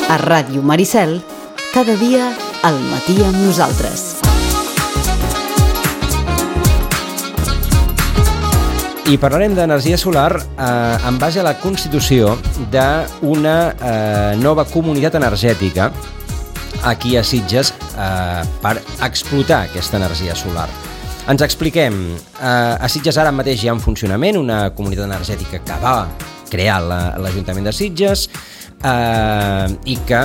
A Ràdio Maricel, cada dia al matí amb nosaltres. I parlarem d'energia solar en base a la constitució d'una nova comunitat energètica aquí a Sitges per explotar aquesta energia solar. Ens expliquem. A Sitges ara mateix hi ha en funcionament una comunitat energètica que va crear l'Ajuntament de Sitges i que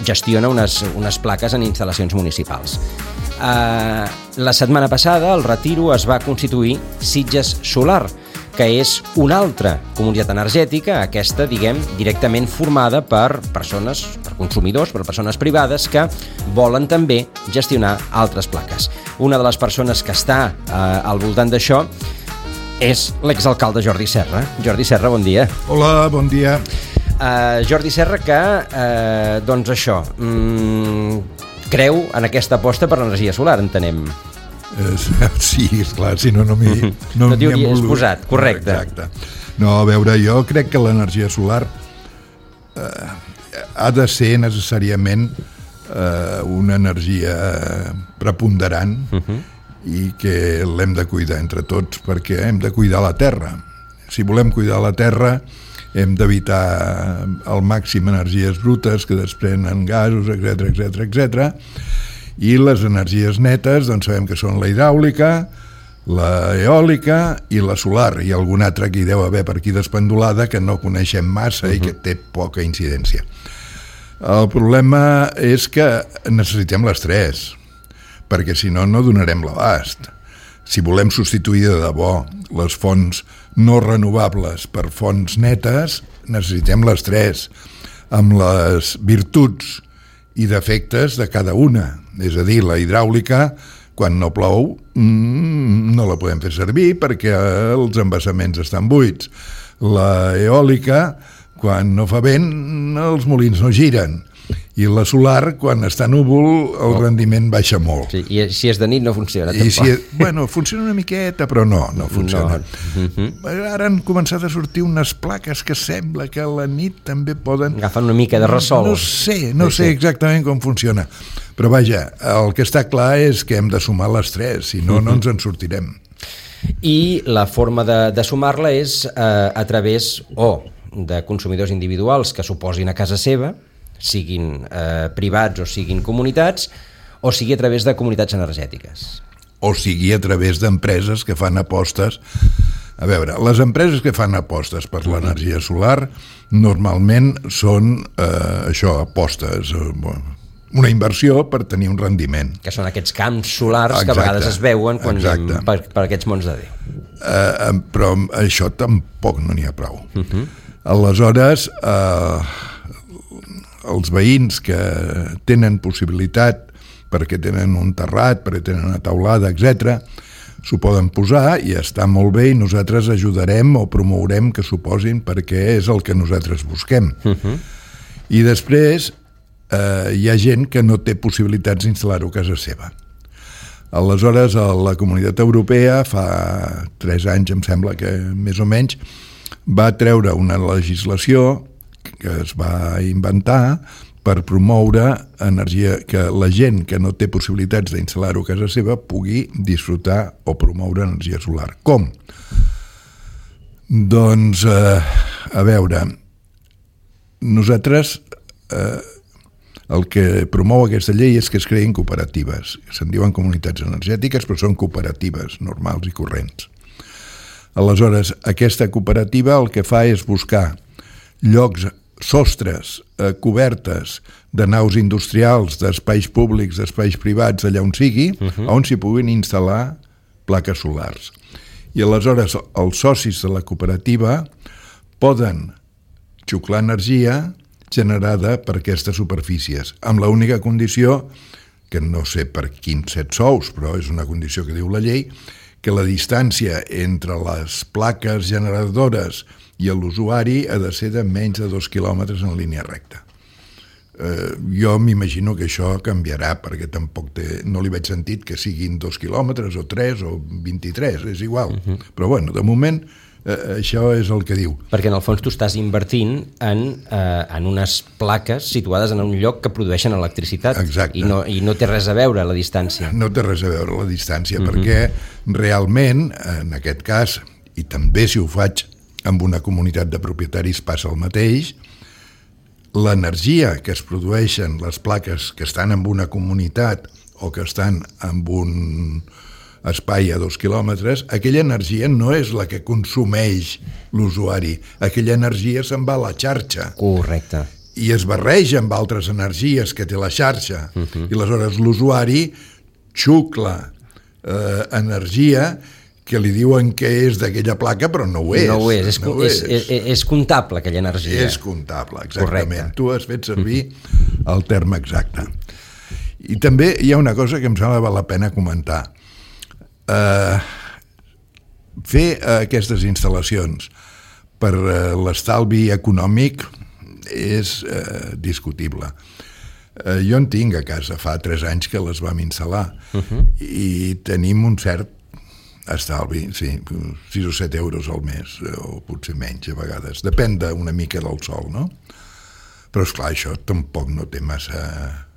gestiona unes plaques en instal·lacions municipals. La setmana passada al Retiro es va constituir Sitges Solar, que és una altra comunitat energètica, aquesta, directament formada per persones, per consumidors, per persones privades que volen també gestionar altres plaques. Una de les persones que està al voltant d'això és l'exalcalde Jordi Serra. Jordi Serra, bon dia. Hola, bon dia. Jordi Serra, que, creu en aquesta aposta per l'energia solar, entenem. Sí, esclar, si no m'hi no t'hi hauries posat, correcte. Exacte. No, a veure, jo crec que l'energia solar ha de ser necessàriament una energia preponderant i que l'hem de cuidar entre tots, perquè hem de cuidar la terra. Si volem cuidar la terra, hem d'evitar al màxim energies brutes que desprenen gasos, etc. I les energies netes, doncs sabem que són la hidràulica, la eòlica i la solar, i alguna altra que hi deu haver per aquí despendolada que no coneixem massa i que té poca incidència. El problema és que necessitem les tres, perquè si no, no donarem l'abast. Si volem substituir de debò les fonts no renovables per fonts netes, necessitem les tres, amb les virtuts i defectes de cada una. És a dir, la hidràulica, quan no plou, no la podem fer servir perquè els embassaments estan buits. La eòlica, quan no fa vent, els molins no giren. I la solar, quan està núvol, el rendiment baixa molt. Sí, i si és de nit no funciona, tampoc. Funciona una miqueta, però no funciona. Ara han començat a sortir unes plaques que sembla que a la nit també poden... Agafen una mica de ressol. No sé exactament com funciona. Però vaja, el que està clar és que hem de sumar les tres, si no, no ens en sortirem. I la forma de sumar-la és a través de consumidors individuals que s'oposin a casa seva, siguin privats o siguin comunitats, o sigui a través de comunitats energètiques. O sigui a través d'empreses que fan apostes. A veure, les empreses que fan apostes per l'energia solar normalment són apostes, una inversió per tenir un rendiment. Que són aquests camps solars que a vegades es veuen quan per aquests mons de Déu. Però això tampoc no n'hi ha prou. Aleshores, els veïns que tenen possibilitat perquè tenen un terrat, perquè tenen una teulada, etc., s'ho poden posar i està molt bé i nosaltres ajudarem o promourem que s'ho posin perquè és el que nosaltres busquem. I després hi ha gent que no té possibilitats d'instal·lar-ho a casa seva. Aleshores, la Comunitat Europea fa 3 anys, em sembla que més o menys, va treure una legislació que es va inventar per promoure energia, que la gent que no té possibilitats d'instal·lar-ho a casa seva pugui disfrutar o promoure energia solar. Com? Doncs, a veure, nosaltres el que promou aquesta llei és que es creïn cooperatives. Se'n diuen comunitats energètiques, però són cooperatives normals i corrents. Aleshores, aquesta cooperativa el que fa és buscar llocs, sostres, cobertes de naus industrials, d'espais públics, d'espais privats, allà on sigui, on s'hi puguin instal·lar plaques solars. I aleshores els socis de la cooperativa poden xuclar energia generada per aquestes superfícies, amb l'única condició, que no sé per quins 7 sous, però és una condició que diu la llei, que la distància entre les plaques generadores i l'usuari ha de ser de menys de 2 quilòmetres en línia recta. Jo m'imagino que això canviarà, perquè tampoc no li veig sentit que siguin 2 quilòmetres o 3 o 23, és igual. Però bueno, de moment això és el que diu. Perquè en el fons tu estàs invertint en unes plaques situades en un lloc que produeixen electricitat. Exacte. I no té res a veure la distància. No té res a veure la distància, perquè realment, en aquest cas, i també si ho faig amb una comunitat de propietaris passa el mateix, l'energia que es produeixen les plaques que estan en una comunitat o que estan en un espai a 2 quilòmetres, aquella energia no és la que consumeix l'usuari, aquella energia se'n va a la xarxa. Correcte. I es barreja amb altres energies que té la xarxa. I aleshores l'usuari xucla energia que li diuen que és d'aquella placa, però no ho és. No ho és, és comptable aquella energia. És comptable, exactament. Correcte. Tu has fet servir el terme exacte. I també hi ha una cosa que em sembla que val la pena comentar. Fer aquestes instal·lacions per l'estalvi econòmic és discutible. Jo en tinc a casa, fa 3 anys que les vam instal·lar i tenim un cert estalvi, sí, 6 o 7 euros al mes, o potser menys a vegades, depèn una mica del sol, no? Però esclar, això tampoc no té massa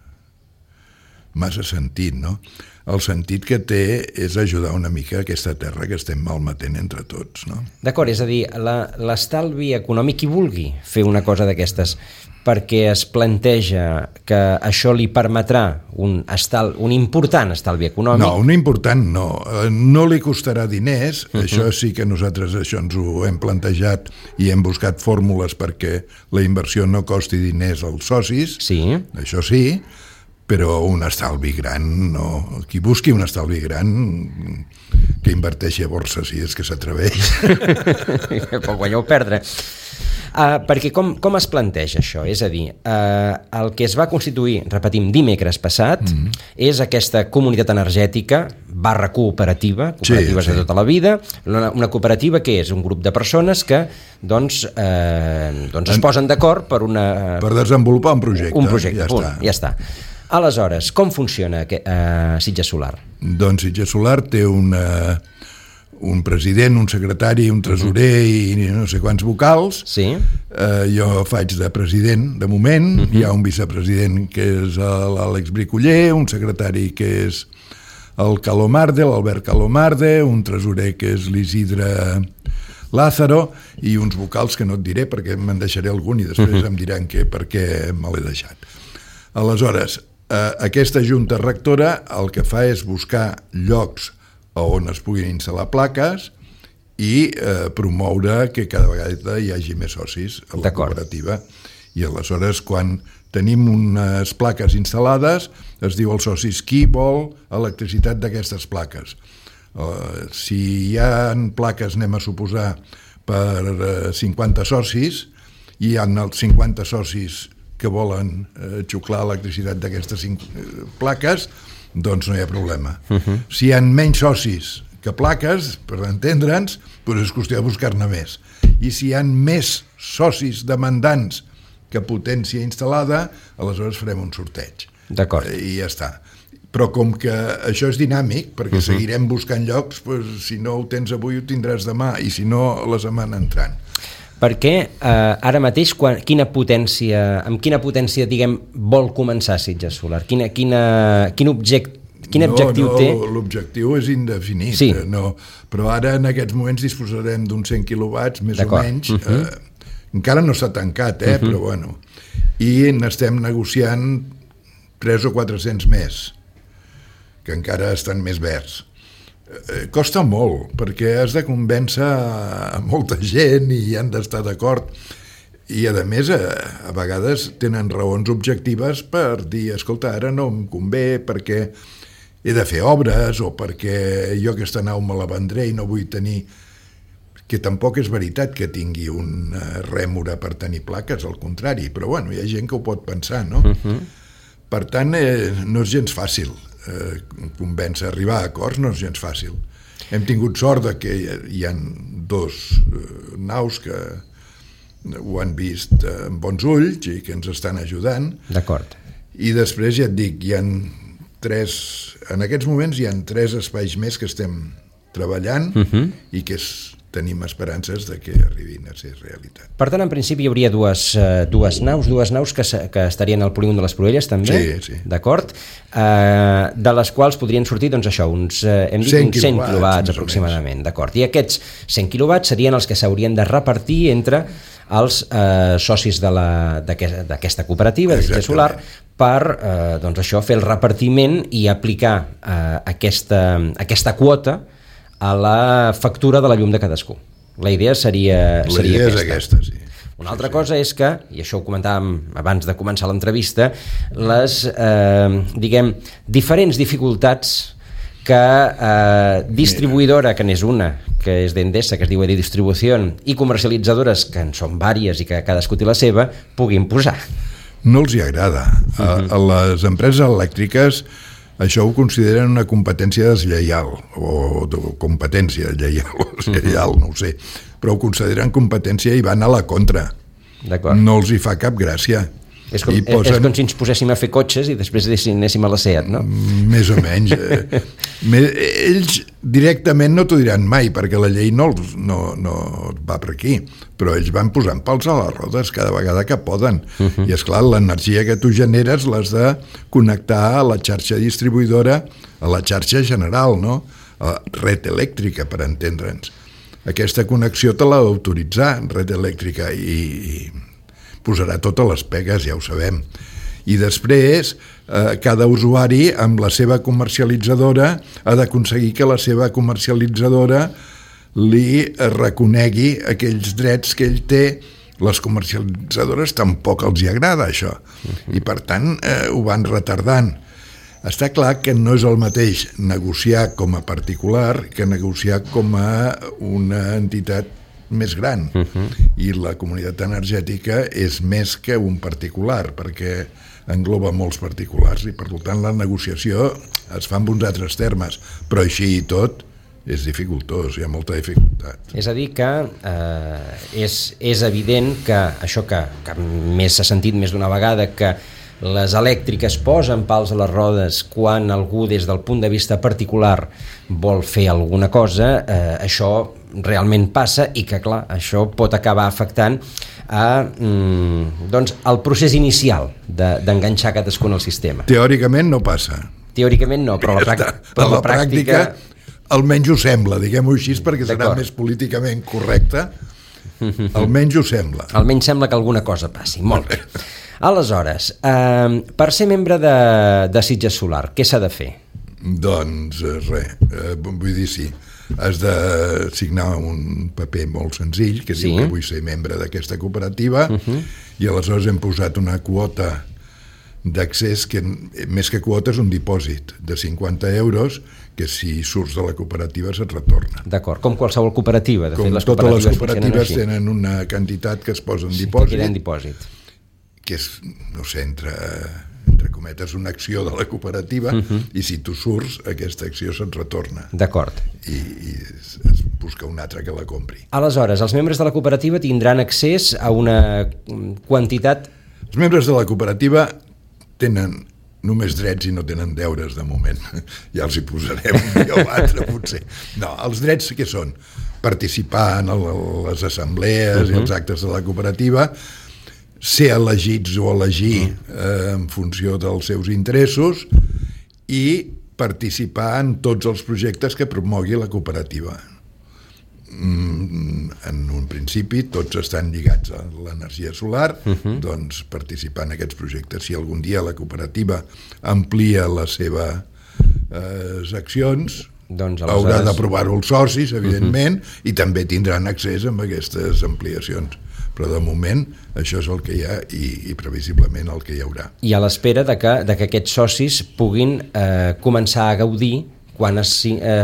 sentit, no? El sentit que té és ajudar una mica aquesta terra que estem malmetent entre tots, no? D'acord, és a dir, l'estalvi econòmic, qui vulgui fer una cosa d'aquestes perquè es planteja que això li permetrà un important estalvi econòmic. No, un important no. No li costarà diners, això sí que nosaltres això ens ho hem plantejat i hem buscat fórmules perquè la inversió no costi diners als socis, sí. Això sí, però un estalvi gran no. Qui busqui un estalvi gran que inverteixi a borsa si és que s'atreveix. Pot guanyar o perdre. Perquè com es planteja això? És a dir, el que es va constituir, repetim, dimecres passat, és aquesta comunitat energètica / cooperativa, cooperatives de tota la vida, una cooperativa que és un grup de persones que es posen d'acord per desenvolupar un projecte. Un projecte, ja està. Aleshores, com funciona Sitges Solar? Doncs Sitges Solar té un president, un secretari, un tresorer i no sé quants vocals. Sí. Jo faig de president, de moment. Hi ha un vicepresident que és l'Àlex Bricoller, un secretari que és el Calomarde, l'Albert Calomarde, un tresorer que és l'Isidre Lázaro i uns vocals que no et diré perquè me'n deixaré algun i després em diran per què me l'he deixat. Aleshores, aquesta junta rectora el que fa és buscar llocs on es puguin instal·lar plaques i promoure que cada vegada hi hagi més socis a la cooperativa. I aleshores, quan tenim unes plaques instal·lades, es diu als socis qui vol electricitat d'aquestes plaques. Si hi ha plaques, anem a suposar, per 50 socis, i hi ha els 50 socis que volen xuclar electricitat d'aquestes plaques, doncs no hi ha problema. Si hi ha menys socis que plaques, per entendre'ns, doncs és qüestió de buscar-ne més. I si hi ha més socis demandants que potència instal·lada, aleshores farem un sorteig. D'acord. I ja està. Però com que això és dinàmic, perquè seguirem buscant llocs, si no ho tens avui ho tindràs demà, i si no la setmana entrant. Perquè ara mateix amb quina potència diguem vol començar Sitges Solar? Quin objectiu té? L'objectiu és indefinit. Sí. Però ara en aquests moments disposarem d'uns 100 quilowatts, més o menys. Encara no s'ha tancat, però bueno. I n'estem negociant 300 o 400 més, que encara estan més verds. Costa molt, perquè has de convèncer a molta gent i han d'estar d'acord. I, a més, a vegades tenen raons objectives per dir, escolta, ara no em convé perquè he de fer obres o perquè jo aquesta nau me la vendré i no vull tenir... Que tampoc és veritat que tingui una rèmora per tenir plaques, al contrari, però bueno, hi ha gent que ho pot pensar, no? Per tant, no és gens fàcil convèncer, arribar a acords no és gens fàcil. Hem tingut sort de que hi ha 2 naus que ho han vist amb bons ulls i que ens estan ajudant. D'acord. I després, ja et dic, hi ha 3... En aquests moments hi ha 3 espais més que estem treballant i que tenim esperances de que arribin a ser realitat. Per tant, en principi hi hauria dues naus que estarien al polígon de les Proelles, també? Sí. D'acord? De les quals podrien sortir, doncs això, uns 100 quilowatts aproximadament. D'acord. I aquests 100 quilowatts serien els que s'haurien de repartir entre els socis d'aquesta cooperativa de Sitges Solar per doncs això, fer el repartiment i aplicar aquesta quota a la factura de la llum de cadascú. La idea seria aquesta, sí. Una altra cosa és que, i això ho comentàvem abans de començar l'entrevista, les, diferents dificultats que distribuïdora, que n'és una, que és d'Endesa, que es diu Edi Distribució, i comercialitzadores, que en són vàries i que cadascú té la seva, puguin posar. No els hi agrada. A les empreses elèctriques això ho consideren una competència deslleial, o competència lleial, no ho sé, però ho consideren competència i van a la contra. No els hi fa cap gràcia. És com si ens poséssim a fer cotxes i després anéssim a la SEAT, no? Més o menys. Ells directament no t'ho diran mai, perquè la llei no va per aquí, però ells van posant pals a les rodes cada vegada que poden. I esclar, l'energia que tu generes l'has de connectar a la xarxa distribuïdora, a la xarxa general, no? A la red elèctrica, per entendre'ns. Aquesta connexió te l'ha d'autoritzar, red elèctrica, i posarà totes les pegues, ja ho sabem. I després, cada usuari amb la seva comercialitzadora ha d'aconseguir que la seva comercialitzadora li reconegui aquells drets que ell té. Les comercialitzadores tampoc els hi agrada això, i per tant ho van retardant. Està clar que no és el mateix negociar com a particular que negociar com a una entitat més gran, i la comunitat energètica és més que un particular, perquè engloba molts particulars i per tant la negociació es fa en uns altres termes, però així i tot és dificultós, hi ha molta dificultat. És a dir que és evident que això que més s'ha sentit més d'una vegada, que les elèctriques posen pals a les rodes quan algú des del punt de vista particular vol fer alguna cosa, això realment passa i que clar, això pot acabar afectant doncs, el procés inicial d'enganxar cadascun al sistema. Teòricament no passa. Teòricament no, però a la pràctica almenys ho sembla, diguem-ho així perquè serà més políticament correcte. Almenys ho sembla. Almenys sembla que alguna cosa passi. Molt bé. Aleshores, per ser membre de Sitges Solar, què s'ha de fer? Doncs res, vull dir, sí, has de signar un paper molt senzill que diu que vull ser membre d'aquesta cooperativa, i aleshores hem posat una quota d'accés que més que quota és un dipòsit de 50 euros que si surts de la cooperativa se't retorna. D'acord, com qualsevol cooperativa. De fet, totes les cooperatives tenen una quantitat que es posa en dipòsit. Que queda en dipòsit. Que és, no sé, entre cometes, una acció de la cooperativa, i si tu surts, aquesta acció se't retorna. D'acord. I es busca un altre que la compri. Aleshores, els membres de la cooperativa tindran accés a una quantitat... Els membres de la cooperativa tenen només drets i no tenen deures de moment. Ja els hi posarem un dia o altre, potser. No, els drets què són? Participar en les assemblees i els actes de la cooperativa, ser elegits o elegir en funció dels seus interessos i participar en tots els projectes que promogui la cooperativa. En un principi tots estan lligats a l'energia solar, doncs participar en aquests projectes. Si algun dia la cooperativa amplia les seves accions, haurà d'aprovar-ho els socis, evidentment, i també tindran accés a aquestes ampliacions. Però de moment això és el que hi ha i previsiblement el que hi haurà. I a l'espera de que aquests socis puguin començar a gaudir quan es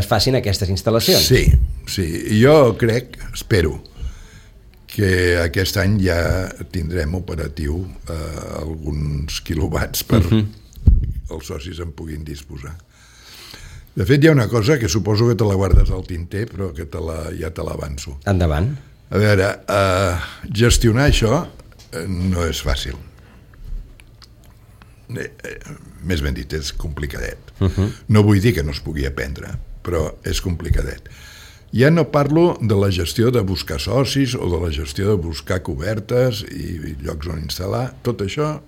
facin aquestes instal·lacions. Sí, jo crec, espero, que aquest any ja tindrem operatiu alguns quilowatts per els socis en puguin disposar. De fet, hi ha una cosa que suposo que te la guardes al tinter, però que ja te l'avanço. Endavant. A veure, gestionar això no és fàcil. Més ben dit, és complicadet. No vull dir que no es pugui aprendre, però és complicadet. Ja no parlo de la gestió de buscar socis o de la gestió de buscar cobertes i llocs on instal·lar, tot això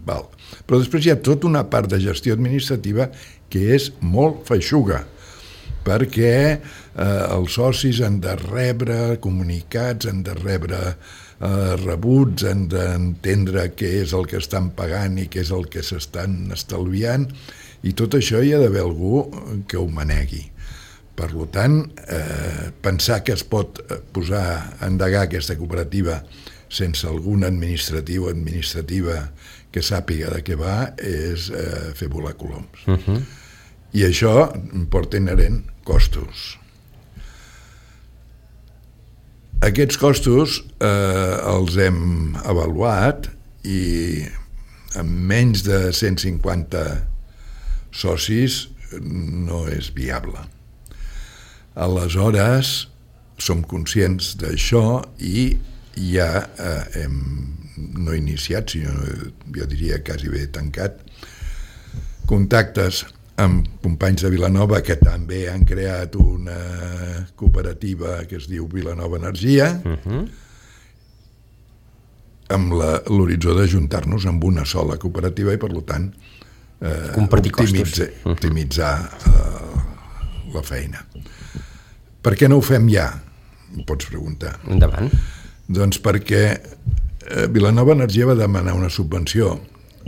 val. Però després hi ha tota una part de gestió administrativa que és molt feixuga, perquè els socis han de rebre comunicats, han de rebre rebuts, han d'entendre què és el que estan pagant i què és el que s'estan estalviant, i tot això hi ha d'haver algú que ho manegui. Per tant, pensar que es pot posar a endegar aquesta cooperativa sense algun administratiu o administrativa que sàpiga de què va és fer volar coloms. I això porta inherent costos. Aquests costos els hem avaluat i amb menys de 150 socis no és viable. Aleshores, som conscients d'això i ja hem no iniciat, sinó jo diria quasi bé tancat, contactes amb companys de Vilanova que també han creat una cooperativa que es diu Vilanova Energia, amb l'horitzó d'ajuntar-nos amb una sola cooperativa i, per tant, optimitzar la feina. Per què no ho fem ja? Em pots preguntar. Endavant. Doncs perquè Vilanova Energia va demanar una subvenció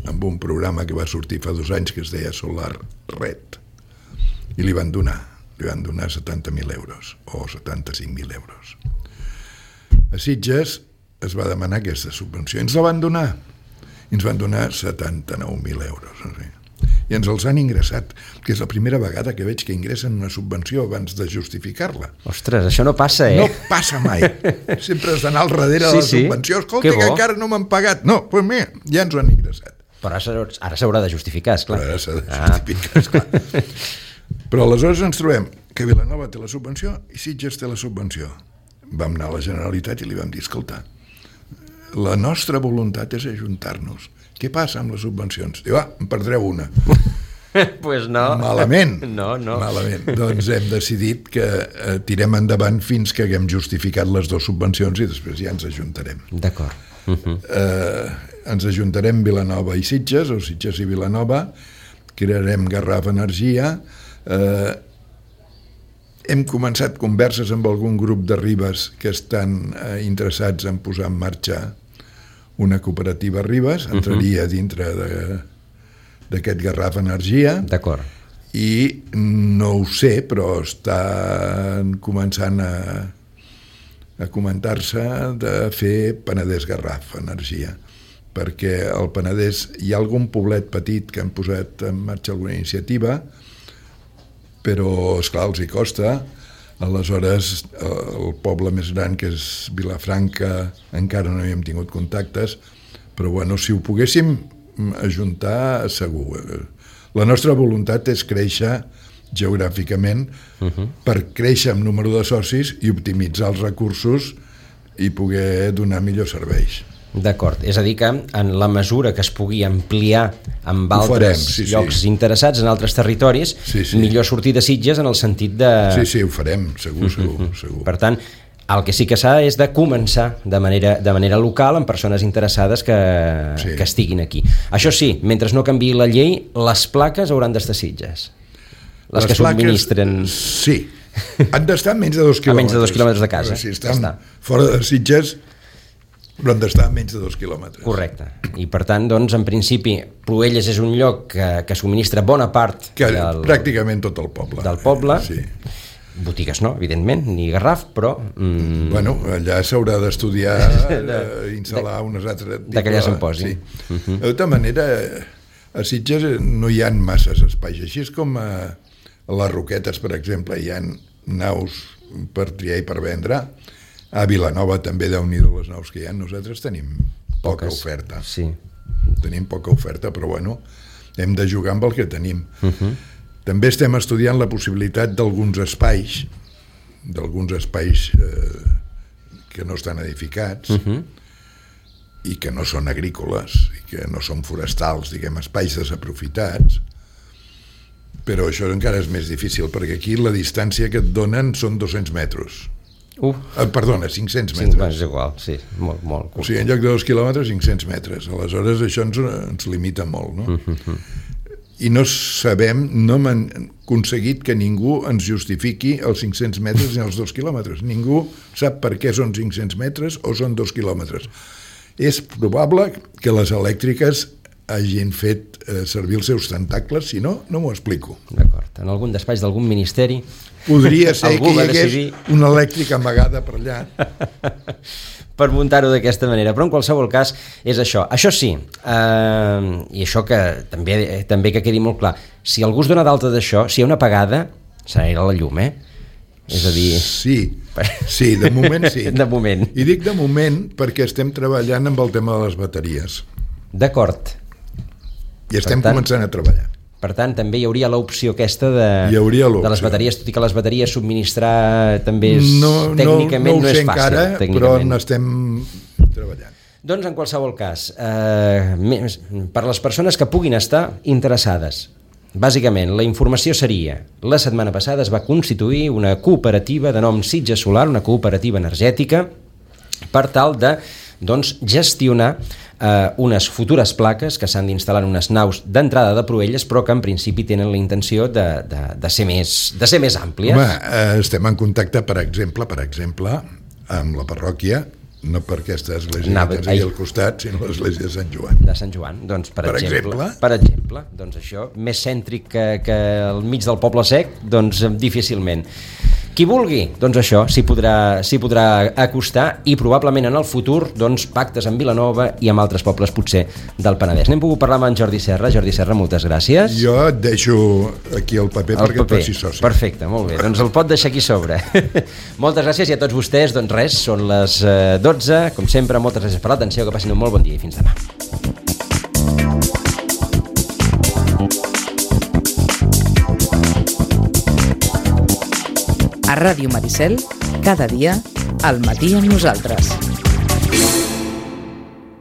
amb un programa que va sortir fa 2 anys que es deia Solar Red, i li van donar 70.000 euros o 75.000 euros. A Sitges es va demanar aquesta subvenció i ens la van donar. Ens van donar 79.000 euros. I ens els han ingressat, que és la primera vegada que veig que ingressen una subvenció abans de justificar-la. Ostres, això no passa, No passa mai. Sempre has d'anar al darrere de la subvenció. Escolta, que encara no m'han pagat. No, doncs mira, ja ens ho han ingressat. Però ara s'haurà de justificar, esclar. Ara s'ha de justificar, esclar. Però aleshores ens trobem que Vilanova té la subvenció i Sitges té la subvenció. Vam anar a la Generalitat i li vam dir, escolta, la nostra voluntat és ajuntar-nos. Què passa amb les subvencions? Diu, en perdreu una. Pues no. Malament. No. Malament. Doncs hem decidit que tirem endavant fins que haguem justificat les 2 subvencions i després ja ens ajuntarem. D'acord. Ens ajuntarem Vilanova i Sitges, o Sitges i Vilanova, crearem Garraf Energia, hem començat converses amb algun grup de Ribes que estan interessats en posar en marxa una cooperativa Ribes, entraria dintre d'aquest Garraf Energia. D'acord. I no ho sé, però estan començant a comentar-se de fer Penedès Garraf Energia, perquè al Penedès hi ha algun poblet petit que han posat en marxa alguna iniciativa, però, esclar, els hi costa. Aleshores, el poble més gran, que és Vilafranca, encara no hi hem tingut contactes, però bueno, si ho poguéssim ajuntar, segur. La nostra voluntat és créixer geogràficament per créixer en número de socis i optimitzar els recursos i poder donar millors serveis. D'acord, és a dir que en la mesura que es pugui ampliar amb altres llocs interessats en altres territoris, millor sortir de Sitges en el sentit de... Sí, ho farem, segur. Per tant, el que sí que s'ha és de començar de manera local amb persones interessades que estiguin aquí. Això sí, mentre no canviï la llei, les plaques hauran d'estar a Sitges. Les que subministren... Sí, han d'estar a menys de 2 quilòmetres. A menys de 2 quilòmetres de casa. Si estan fora de Sitges, però han d'estar a menys de 2 quilòmetres. Correcte. I per tant, doncs, en principi, Cloelles és un lloc que subministra bona part pràcticament tot el poble. Del poble. Sí. Botigues no, evidentment, ni Garraf, però... Bueno, allà s'haurà d'estudiar, instal·lar unes altres... De que allà se'n posi. Sí. De tota manera, a Sitges no hi ha masses espais. Així és com a les Roquetes, per exemple, hi ha naus per triar i per vendre. A Vilanova també, Déu-n'hi-do les naus que hi ha. Nosaltres tenim poca oferta. Sí. Tenim poca oferta, però bueno, hem de jugar amb el que tenim. També estem estudiant la possibilitat d'alguns espais que no estan edificats i que no són agrícoles i que no són forestals, diguem, espais desaprofitats, Però això encara és més difícil, perquè aquí la distància que et donen són 200 metres. Perdona, 500 metres. És igual, sí, molt. O sigui, en lloc de 2 quilòmetres, 500 metres. Aleshores, això ens limita molt, no? I no sabem, no hem aconseguit que ningú ens justifiqui els 500 metres ni els 2 quilòmetres. Ningú sap per què són 500 metres o són 2 quilòmetres. És probable que les elèctriques hagin fet servir els seus tentacles, si no, no m'ho explico. D'acord, en algun despatx d'algun ministeri podria ser que hi hagués una elèctrica amagada per allà. Per muntar-ho d'aquesta manera, però en qualsevol cas és això. Això sí, i això que també que quedi molt clar, si algú es dona d'alta d'això, si hi ha una apagada, s'anirà la llum, És a dir... Sí, de moment sí. De moment. I dic de moment perquè estem treballant amb el tema de les bateries. D'acord. I estem començant a treballar. Per tant, també hi hauria l'opció aquesta de les bateries, tot i que les bateries subministrar també tècnicament no és fàcil. No ho sé encara, però n'estem treballant. Doncs, en qualsevol cas, per les persones que puguin estar interessades, bàsicament, la informació seria: la setmana passada es va constituir una cooperativa de nom Sitges Solar, una cooperativa energètica, per tal de gestionar unes futures plaques que s'han d'instal·lar en unes naus d'entrada de Proelles, però que en principi tenen la intenció de ser més àmplies. Home, estem en contacte, per exemple, amb la parròquia, no per aquesta església que tens aquí al costat, sinó l'església de Sant Joan. De Sant Joan, doncs, per exemple. Doncs això, més cèntric que al mig del poble sec, doncs difícilment. Qui vulgui, doncs això, s'hi podrà acostar, i probablement en el futur, doncs, pactes amb Vilanova i amb altres pobles, potser, del Penedès. N'hem pogut parlar amb en Jordi Serra. Jordi Serra, moltes gràcies. Jo et deixo aquí el paper perquè et facis soci. Perfecte, molt bé. Doncs el pot deixar aquí sobre. Moltes gràcies, i a tots vostès, doncs res, són les 12. Com sempre, moltes gràcies per l'atenció, que passin un molt bon dia i fins demà. A Ràdio Maricel, cada dia, al matí amb nosaltres.